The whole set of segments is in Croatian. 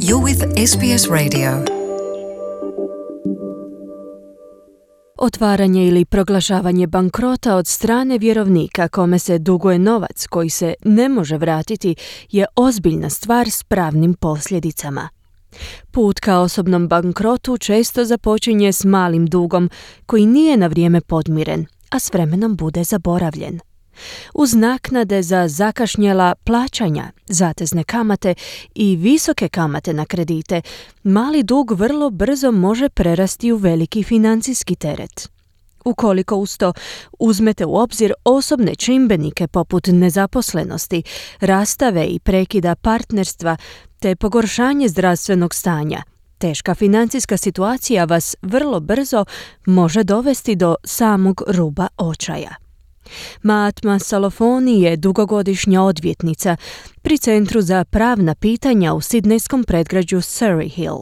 You're with SBS Radio. Otvaranje ili proglašavanje bankrota od strane vjerovnika kome se duguje novac koji se ne može vratiti je ozbiljna stvar s pravnim posljedicama. Put ka osobnom bankrotu često započinje s malim dugom koji nije na vrijeme podmiren, a s vremenom bude zaboravljen. Uz naknade za zakašnjela plaćanja, zatezne kamate i visoke kamate na kredite, mali dug vrlo brzo može prerasti u veliki financijski teret. Ukoliko uz to uzmete u obzir osobne čimbenike poput nezaposlenosti, rastave i prekida partnerstva te pogoršanje zdravstvenog stanja, teška financijska situacija vas vrlo brzo može dovesti do samog ruba očaja. Mahatma Salofoni je dugogodišnja odvjetnica pri Centru za pravna pitanja u sidnejskom predgrađu Surry Hill.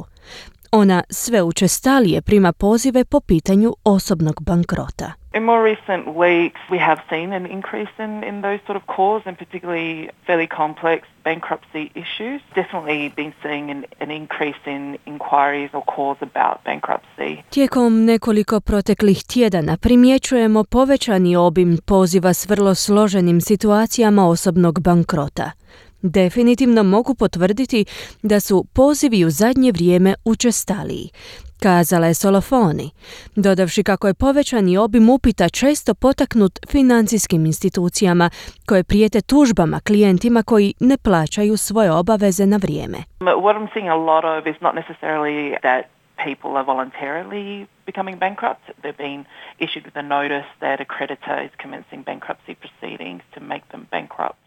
Ona sve učestalije prima pozive po pitanju osobnog bankrota. In more recent weeks, we have seen an increase in those sort of calls, and particularly fairly complex bankruptcy issues. Definitely been seeing an increase in inquiries or calls about bankruptcy. Tijekom nekoliko proteklih tjedana primjećujemo povećani obim poziva s vrlo složenim situacijama osobnog bankrota. Definitivno mogu potvrditi da su pozivi u zadnje vrijeme učestaliji, kazala je Salofoni, dodavši kako je povećani obim upita često potaknut financijskim institucijama koje prijete tužbama klijentima koji ne plaćaju svoje obaveze na vrijeme. What I'm seeing a lot of is not necessarily that people are voluntarily becoming bankrupt. They've been issued with a notice that a creditor is commencing bankruptcy proceedings to make them bankrupt.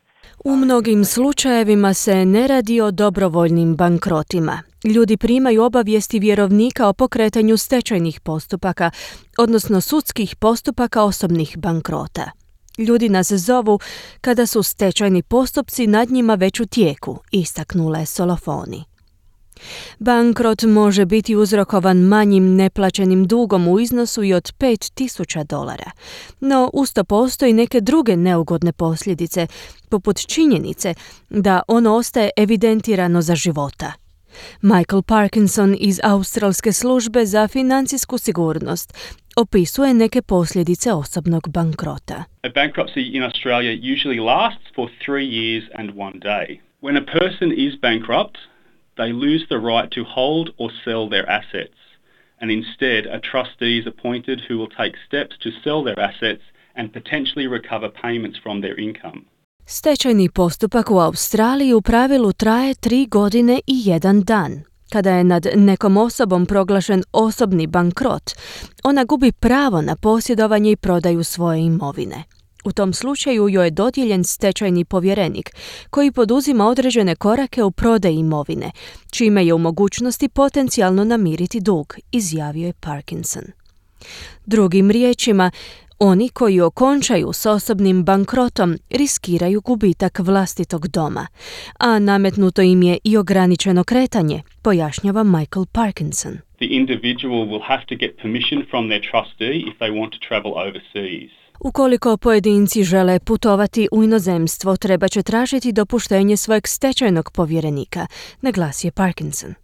U mnogim slučajevima se ne radi o dobrovoljnim bankrotima. Ljudi primaju obavijesti vjerovnika o pokretanju stečajnih postupaka, odnosno sudskih postupaka osobnih bankrota. Ljudi nas zovu kada su stečajni postupci nad njima već u tijeku, istaknula je Salofoni. Bankrot može biti uzrokovan manjim neplaćenim dugom u iznosu i od $5,000, no usto postoji neke druge neugodne posljedice, poput činjenice da ono ostaje evidentirano za života. Michael Parkinson iz Australske službe za financijsku sigurnost opisuje neke posljedice osobnog bankrota. A bankruptcy in Australia usually lasts for 3 years and 1 day. When a person is bankrupt, they lose the right to hold or sell their assets, and instead a trustee is appointed who will take steps to sell their assets and potentially recover payments from their income. Stečajni postupak u Australiji u pravilu traje 3 godine i 1 dan. Kada je nad nekom osobom proglašen osobni bankrot, ona gubi pravo na posjedovanje i prodaju svoje imovine. U tom slučaju joj je dodijeljen stečajni povjerenik koji poduzima određene korake u prodaji imovine, čime je u mogućnosti potencijalno namiriti dug, izjavio je Parkinson. Drugim riječima, oni koji okončaju s osobnim bankrotom riskiraju gubitak vlastitog doma, a nametnuto im je i ograničeno kretanje, pojašnjava Michael Parkinson. The individual will have to get permission from their trustee if they want to travel overseas. Ukoliko pojedinci žele putovati u inozemstvo, treba će tražiti dopuštenje svojeg stečajnog povjerenika, naglasio je Parkinson.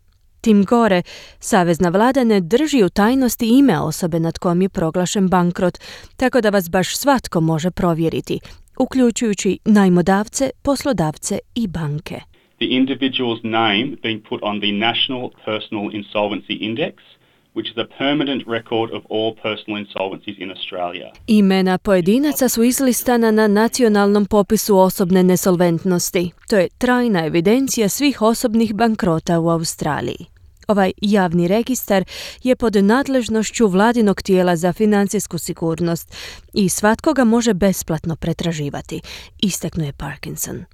Tim gore, savezna vlada ne drži u tajnosti ime osobe nad kojom je proglašen bankrot, tako da vas baš svatko može provjeriti, uključujući najmodavce, poslodavce i banke. The individual's name being put on the National Personal Insolvency Index, which is a permanent record of all personal insolvencies in Australia. Imena pojedinaca su izlistana na nacionalnom popisu osobne nesolventnosti. To je trajna evidencija svih osobnih bankrota u Australiji. Ovaj javni registar je pod nadležnošću vladinog tijela za financijsku sigurnost i svatko ga može besplatno pretraživati, istaknuo je Parkinson.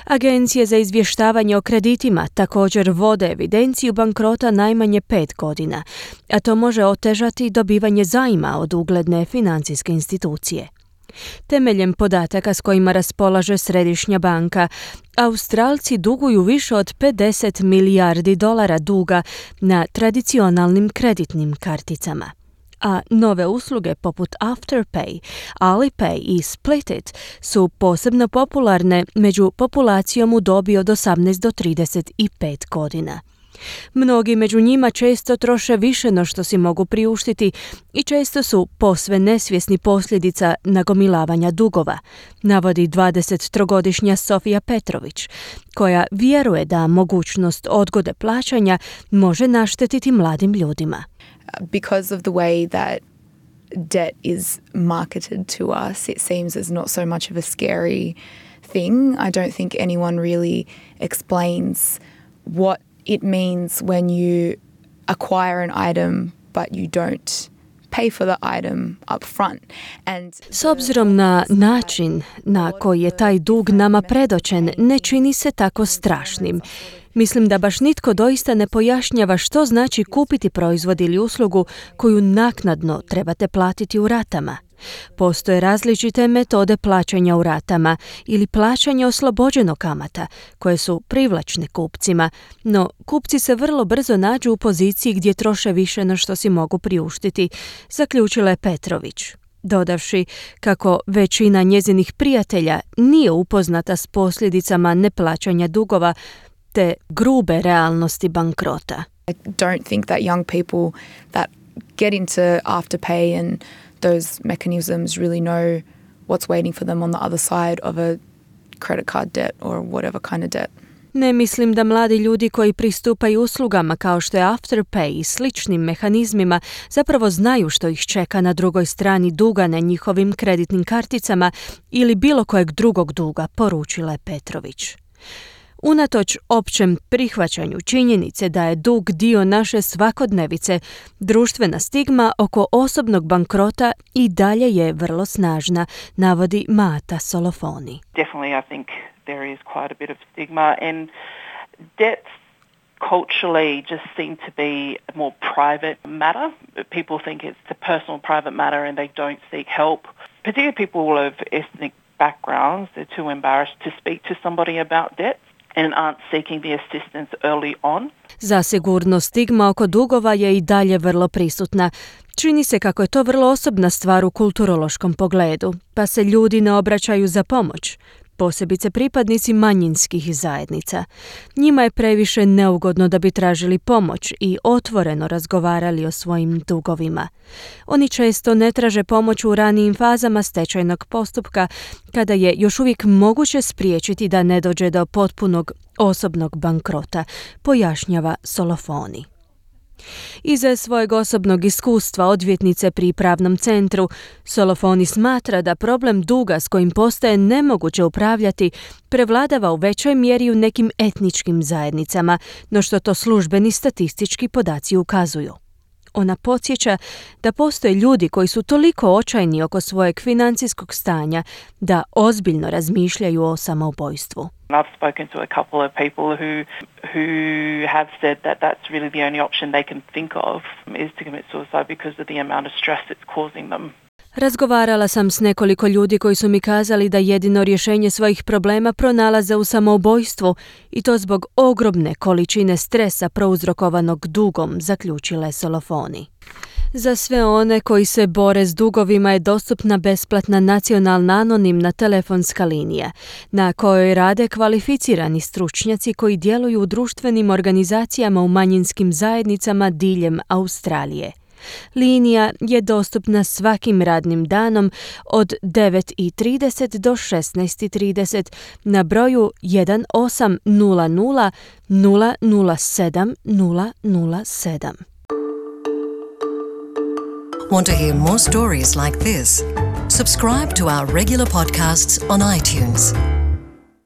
Agencije za izvještavanje o kreditima također vode evidenciju bankrota najmanje 5 godina, a to može otežati dobivanje zajma od ugledne financijske institucije. Temeljem podataka s kojima raspolaže Središnja banka, Australci duguju više od $50 milijardi duga na tradicionalnim kreditnim karticama. a nove usluge poput Afterpay, Alipay i Splitit su posebno popularne među populacijom u dobi od 18 do 35 godina. Mnogi među njima često troše više no što si mogu priuštiti i često su posve nesvjesni posljedica nagomilavanja dugova, navodi 23-godišnja Sofija Petrović, koja vjeruje da mogućnost odgode plaćanja može naštetiti mladim ljudima. Because of the way that debt is marketed to us, it seems as not so much of a scary thing. I don't think anyone really explains what it means when you acquire an item but you don't pay for the item up front. S obzirom na način na koji je taj dug nama predočen, ne čini se tako strašnim. Mislim da baš nitko doista ne pojašnjava što znači kupiti proizvod ili uslugu koju naknadno trebate platiti u ratama. Postoje različite metode plaćanja u ratama ili plaćanja oslobođeno kamata, koje su privlačne kupcima, no kupci se vrlo brzo nađu u poziciji gdje troše više no što si mogu priuštiti, zaključila je Petrović, dodavši kako većina njezinih prijatelja nije upoznata s posljedicama neplaćanja dugova te grube realnosti bankrota. I don't think that young people that get into Afterpay and those mechanisms really know what's waiting for them on the other side of a credit card debt or whatever kind of debt. Ne mislim da mladi ljudi koji pristupaju uslugama kao što je Afterpay i sličnim mehanizmima zapravo znaju što ih čeka na drugoj strani duga na njihovim kreditnim karticama ili bilo kojeg drugog duga, poručila je Petrović. Unatoč općem prihvaćanju činjenice da je dug dio naše svakodnevice, društvena stigma oko osobnog bankrota i dalje je vrlo snažna, navodi Mata Solofoni. Definitely, I think there is quite a bit of stigma, and debts culturally just seem to be a more private matter. People think it's a personal private matter and they don't seek help. Particularly people of ethnic backgrounds, they're too embarrassed to speak to somebody about debts and aren't seeking the assistance early on. Zasigurno stigma oko dugova je i dalje vrlo prisutna. Čini se kako je to vrlo osobna stvar u kulturološkom pogledu, pa se ljudi ne obraćaju za pomoć, posebice pripadnici manjinskih zajednica. Njima je previše neugodno da bi tražili pomoć i otvoreno razgovarali o svojim dugovima. Oni često ne traže pomoć u ranijim fazama stečajnog postupka, kada je još uvijek moguće spriječiti da ne dođe do potpunog osobnog bankrota, pojašnjava Solofoni. Iza svojeg osobnog iskustva odvjetnice pri pravnom centru, Solofoni smatra da problem duga s kojim postaje nemoguće upravljati prevladava u većoj mjeri u nekim etničkim zajednicama, no što to službeni statistički podaci ukazuju. Ona podsjeća da postoje ljudi koji su toliko očajni oko svojeg financijskog stanja da ozbiljno razmišljaju o samoubojstvu. I've spoken to a couple of people who have said that that's really the only option they can think of is to commit suicide because of the amount of stress it's causing them. Razgovarala sam s nekoliko ljudi koji su mi kazali da jedino rješenje svojih problema pronalaze u samoubojstvu i to zbog ogromne količine stresa prouzrokovanog dugom, zaključila je Solofoni. Za sve one koji se bore s dugovima je dostupna besplatna nacionalna anonimna telefonska linija, na kojoj rade kvalificirani stručnjaci koji djeluju u društvenim organizacijama u manjinskim zajednicama diljem Australije. Linija je dostupna svakim radnim danom od 9:30 do 16:30 na broju 1800 007 007. Want to hear more stories like this? Subscribe to our regular podcasts on iTunes.